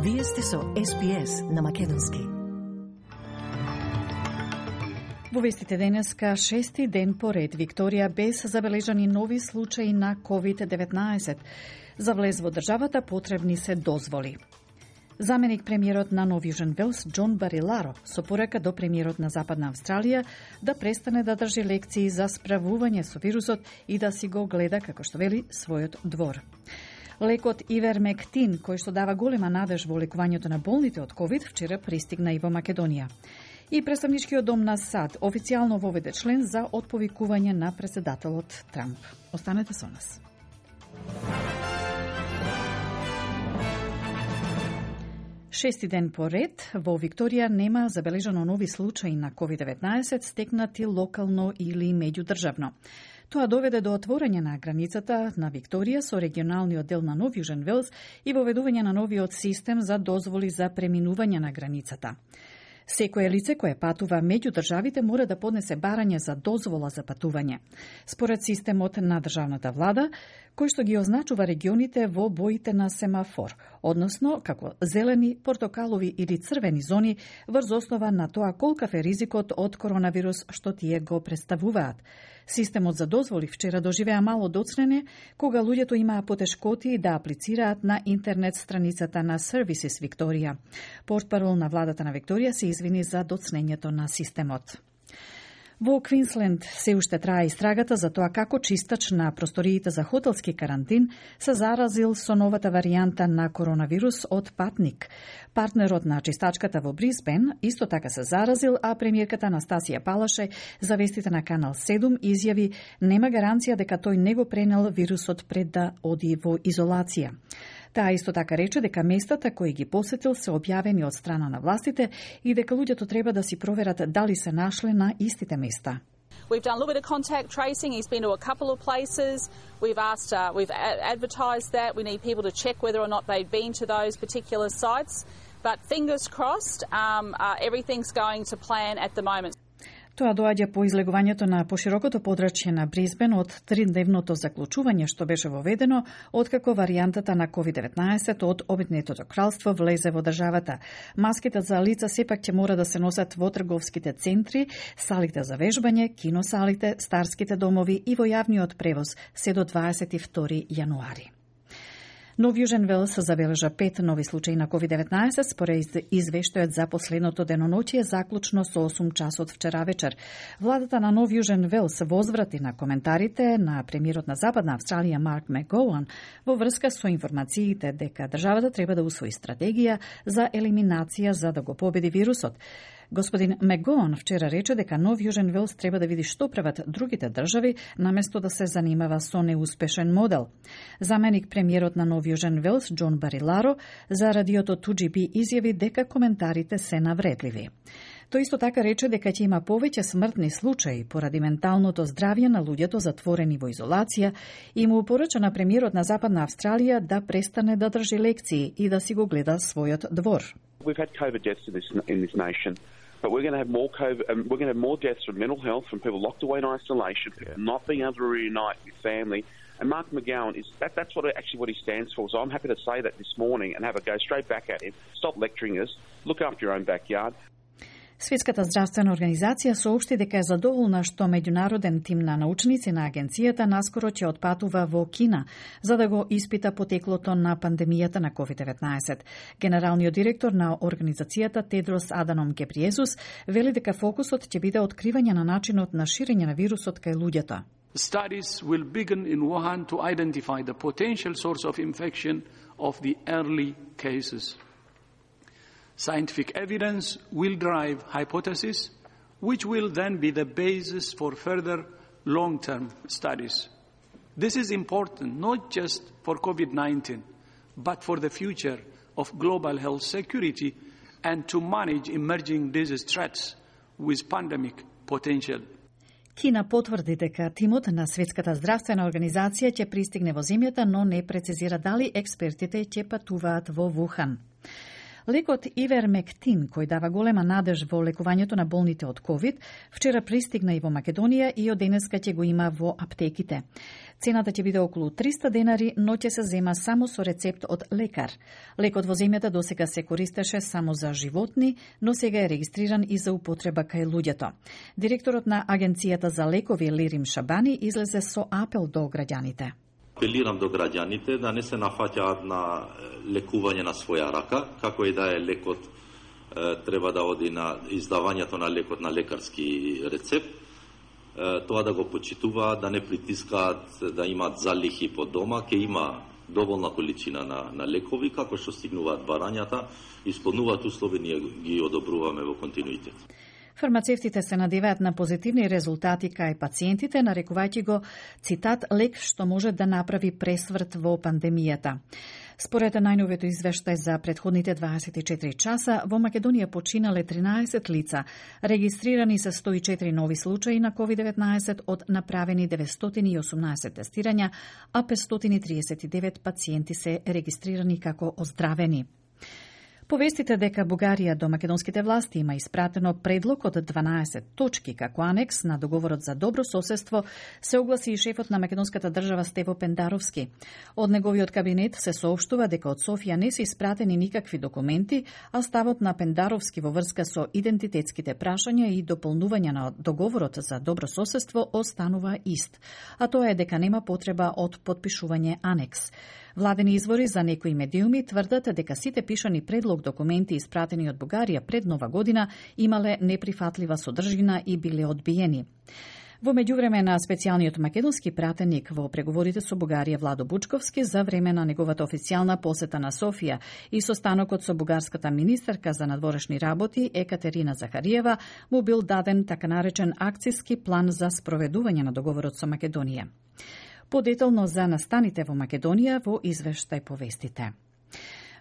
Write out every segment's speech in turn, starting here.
Вие сте со СПС на Македонски. Во вестите денеска, шести ден поред Викторија без забележани нови случаи на COVID-19. За влез во државата потребни се дозволи. Заменик премиерот на Нов Јужен Велс Џон Бариларо со порака до премиерот на Западна Австралија да престане да држи лекции за справување со вирусот и да си го гледа, како што вели, својот двор. Лекот Ивермектин, кој што дава голема надеж во лекувањето на болните од COVID, вчера пристигна и во Македонија. И представничкиот дом на САД официјално воведе член за отповикување на претседателот Трамп. Останете со нас. Шести ден поред, во Викторија нема забележано нови случаи на COVID-19 стекнати локално или меѓудржавно. Тоа доведе до отворање на границата на Викторија со регионалниот дел на Нов Јужен Велс и воведување на новиот систем за дозволи за преминување на границата. Секое лице кое патува меѓу државите мора да поднесе барање за дозвола за патување. Според системот на државната влада, кој што ги означува регионите во боите на семафор, односно како зелени, портокалови или црвени зони, врз основа на тоа колкав е ризикот од коронавирус што тие го представуваат. Системот за дозволи вчера доживеа мало доцнене, кога луѓето имаа потешкоти да аплицираат на интернет страницата на Services Викторија. Портпарол на владата на Викторија се извини за доцнењето на системот. Во Квинсленд се уште трае истрагата за тоа како чистач на просториите за хотелски карантин се заразил со новата варијанта на коронавирус од патник. Партнерот на чистачката во Брисбен исто така се заразил, а премиерката Анастасија Палаше за вестите на Канал 7 изјави нема гаранција дека тој не го пренел вирусот пред да оди во изолација. Таа исто така рече дека местата кои ги посетил се објавени од страна на властите и дека луѓето треба да си проверат дали се нашле на истите места. We've done a little bit of contact tracing. He's been to a couple of places. We've advertised that. We need people to check whether or not they've been to those particular sites. But fingers crossed, everything's going to plan at the moment. Тоа доаѓа по излегувањето на поширокото подрачје на Брисбен од 3-дневното заклучување што беше воведено откако варијантата на COVID-19 од Обединетото кралство влезе во државата. Маските за лица сепак ќе мора да се носат во трговските центри, салите за вежбање, киносалите, старските домови и во јавниот превоз се до 22 јануари. Нов Јужен Велс забележа 5 нови случаи на COVID-19 според извештајот за последното деноноќие заклучно со 8 часот вчера вечер. Владата на Нов Јужен Велс возврати на коментарите на премиерот на Западна Австралија Марк Макгоуан во врска со информациите дека државата треба да усвои стратегија за елиминација за да го победи вирусот. Господин Макгоуан вчера рече дека Нов Јужен Велс треба да види што прават другите држави, наместо да се занимава со неуспешен модел. Заменик премиерот на Нов Јужен Велс Џон Бариларо за радиото 2GB изјави дека коментарите се навредливи. Тој исто така рече дека ќе има повеќе смртни случаи поради менталното здравје на луѓето затворени во изолација и му порача на премиерот на Западна Австралија да престане да држи лекции и да си го гледа својот двор. We've had COVID deaths in this nation, but we're going to have more COVID. We're going to have more deaths from mental health, from people locked away in isolation, people not being able to reunite with family. And Mark McGowan that's what he stands for. So I'm happy to say that this morning and have a go straight back at him. Stop lecturing us. Look after your own backyard. Светската здравствена организација соопшти дека е задоволна што меѓународен тим на научници на агенцијата наскоро ќе отпатува во Кина за да го испита потеклото на пандемијата на COVID-19. Генералниот директор на организацијата Тедрос Аданом Гебриезус вели дека фокусот ќе биде откривање на начинот на ширење на вирусот кај луѓето. Studies will begin in Wuhan to identify the potential source of infection of the early cases. Scientific evidence will drive hypotheses, which will then be the basis for further long-term studies. This is important not just for COVID-19, but for the future of global health security and to manage emerging disease threats with pandemic potential. Кина потврди дека тимот на Светската здравствена организација ќе пристигне во земјата, но не прецизира дали експертите ќе патуваат во Вухан. Лекот Ивермектин, кој дава голема надеж во лекувањето на болните од COVID, вчера пристигна и во Македонија и од денеска ќе го има во аптеките. Цената ќе биде околу 300 денари, но ќе се зема само со рецепт од лекар. Лекот во земјата досега се користеше само за животни, но сега е регистриран и за употреба кај луѓето. Директорот на Агенцијата за лекови Лирим Шабани излезе со апел до граѓаните. Апелирам до граѓаните да не се нафаќаат на лекување на своја рака, како и да е лекот треба да оди на издавањето на лекот на лекарски рецепт, тоа да го почитуваат, да не притискаат да имаат залихи по дома, ќе има доволна количина на лекови, како што стигнуваат барањата, исполнуваат услови, ние ги одобруваме во континуитет. Фармацевтите се надеваат на позитивни резултати кај пациентите, нарекувајќи го, цитат, лек што може да направи пресврт во пандемијата. Според најновето извештај за претходните 24 часа, во Македонија починале 13 лица, регистрирани се 104 нови случаи на COVID-19 од направени 918 тестирања, а 539 пациенти се регистрирани како оздравени. Повестите дека Бугарија до македонските власти има испратено предлог од 12 точки како анекс на договорот за добро соседство, се огласи и шефот на македонската држава Стево Пендаровски. Од неговиот кабинет се соопштува дека од Софија не се испратени никакви документи, а ставот на Пендаровски во врска со идентитетските прашања и дополнување на договорот за добро соседство останува ист, а тоа е дека нема потреба од подпишување анекс. Владени извори за некои медиуми тврдат дека сите пишани предлог документи испратени од Бугарија пред Нова година имале неприфатлива содржина и биле одбиени. Во меѓувреме на специјалниот македонски пратеник во преговорите со Бугарија Владо Бучковски за време на неговата официјална посета на Софија и состанокот со бугарската министерка за надворешни работи Екатерина Захариева му бил даден така наречен акциски план за спроведување на договорот со Македонија. Подетално за настаните во Македонија во извештај повестите.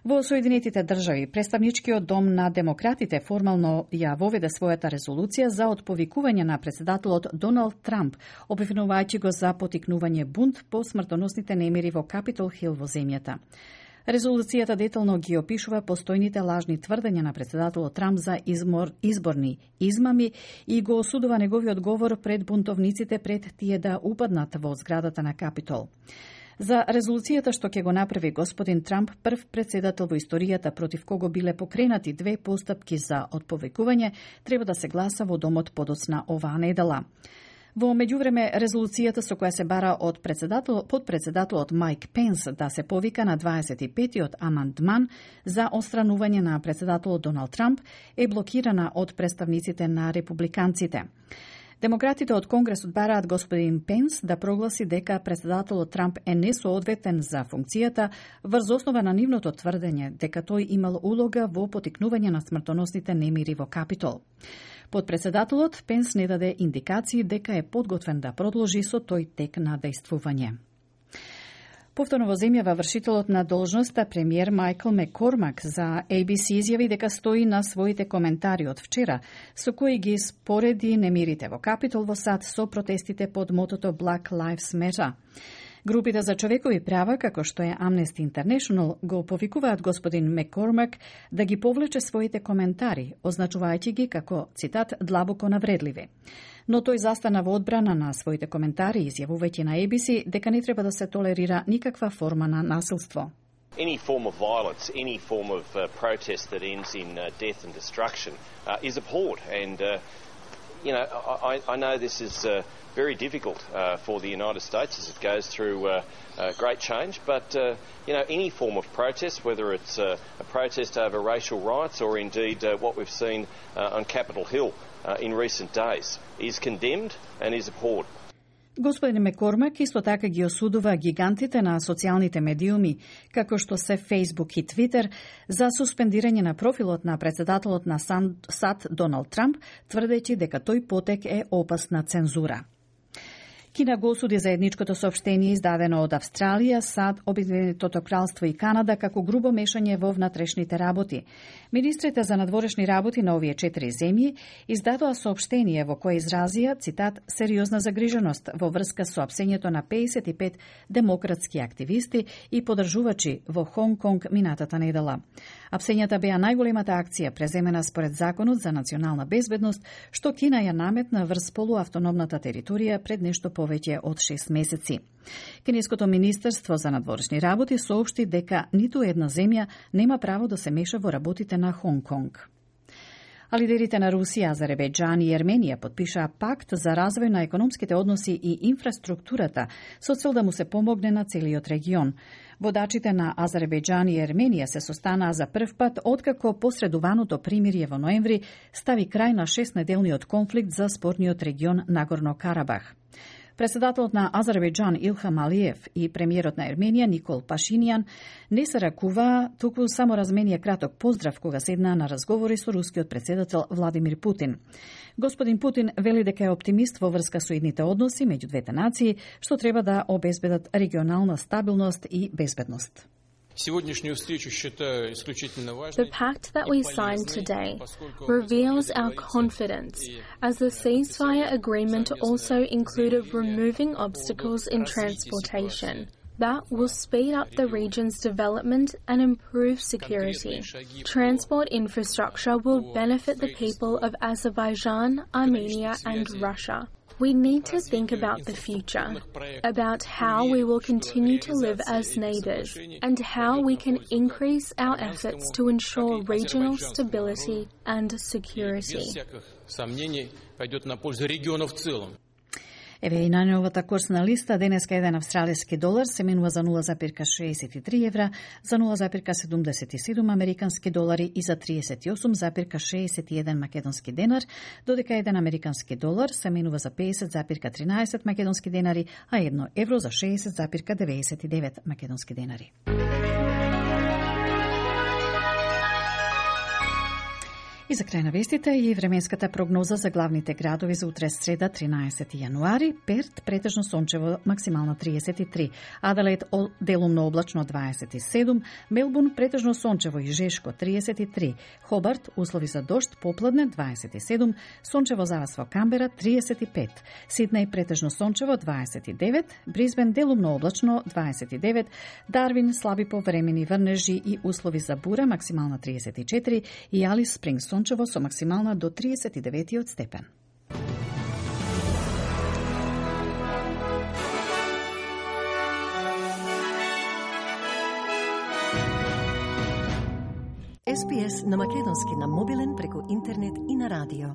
Во Соединетите држави, представничкиот дом на демократите формално ја воведе својата резолуција за отповикување на претседателот Доналд Трамп, обвинувајќи го за потикнување бунт по смртоносните немири во Капитол Хил во земјата. Резолуцијата детално ги опишува постојните лажни тврдења на претседателот Трамп за изборни измами и го осудува неговиот говор пред бунтовниците пред тие да упаднат во зградата на Капитол. За резолуцијата што ќе го направи господин Трамп, прв претседател во историјата против кого биле покренати 2 постапки за отповикување, треба да се гласа во домот подоцна оваа недела. Во меѓувреме, резолуцијата со која се бара од подпредседателот Майк Пенс да се повика на 25-тиот амандман за отстранување на претседателот Доналд Трамп е блокирана од представниците на републиканците. Демократите од Конгресот бараат господин Пенс да прогласи дека претседателот Трамп е несоодветен за функцијата врз основа на нивното тврдење дека тој имал улога во потикнување на смртоносните немири во Капитол. Подпредседателот Пенс не даде индикации дека е подготвен да продолжи со тој тек на дејствување. Повторно во земјава вршителот на должноста премиер Майкл Маккормак за ABC изјави дека стои на своите коментари од вчера, со кои ги спореди немирите во Капитол во САД со протестите под мотото Black Lives Matter. Групите за човекови права, како што е Amnesty International, го повикуваат господин Маккормак да ги повлече своите коментари, означувајќи ги како, цитат, длабоко навредливи. Но тој застана во одбрана на своите коментари, изјавувајќи на ABC дека не треба да се толерира никаква форма на насилство. Any form of violence, any form of protest that ends in death and destruction is abhorred. And, I know this is very difficult for the United States as it goes through great change, but, any form of protest, whether it's a protest over racial rights or indeed what we've seen on Capitol Hill in recent days, is condemned and is abhorred. Господин Маккормак исто така ги осудува гигантите на социјалните медиуми, како што се Facebook и Twitter, за суспендирање на профилот на претседателот на САД Доналд Трамп, тврдејќи дека тој потек е опасна цензура. Кина го осуди заедничкото соопштение издадено од Австралија, САД, Обединетото кралство и Канада како грубо мешање во внатрешните работи. Министрите за надворешни работи на овие 4 земји издадоа соопштение во кое изразија, цитат, сериозна загриженост во врска со апсењето на 55 демократски активисти и подржувачи во Хонг Конг минатата недела. Апсењата беа најголемата акција преземена според Законот за национална безбедност, што Кина ја наметна врз полуавтономната територија пред нешто повеќе од 6 месеци. Кинеското министерство за надворешни работи соопшти дека ниту една земја нема право да се меша во работите на Хонг Конг. А лидерите на Русија, Азербејџан и Ерменија подпишаа пакт за развој на економските односи и инфраструктурата со цел да му се помогне на целиот регион. Водачите на Азербејџан и Ерменија се состанаа за прв пат откако посредуваното примирие во ноември стави крај на 6-неделниот конфликт за спорниот регион Нагорно-Карабах. Председателот на Азербејџан Илхам Алиев и премиерот на Ерменија Никол Пашинијан не се ракуваа, туку само разменија краток поздрав кога седнаа на разговори со рускиот председател Владимир Путин. Господин Путин вели дека е оптимист во врска со идните односи меѓу двете нации, што треба да обезбедат регионална стабилност и безбедност. The pact that we signed today reveals our confidence, as the ceasefire agreement also included removing obstacles in transportation. That will speed up the region's development and improve security. Transport infrastructure will benefit the people of Azerbaijan, Armenia, and Russia. We need to think about the future, about how we will continue to live as neighbours, and how we can increase our efforts to ensure regional stability and security. Еве и најновата курсна листа. Денеска еден австралиски долар се менува за 0,63 евра, за 0,77 американски долари и за 38,61 македонски денар, додека еден американски долар се менува за 50,13 македонски денари, а 1 евро за 60,99 македонски денари. И за крај на вестите и временската прогноза за главните градови за утре среда 13 јануари. Перт претежно сончево, максимално 33, Аделаид делумно облачно 27, Мелбурн претежно сончево и жешко 33, Хобарт услови за дожд попладне 27, сончево завас во Камбера 35, Сиднеј претежно сончево 29, Брисбен делумно облачно 29, Дарвин слаби повремени врнежи и услови за бура максимална 34 и Алис Спрингс сончево со максимална до 39 степен. SPS на македонски на мобилен преку интернет и на радио.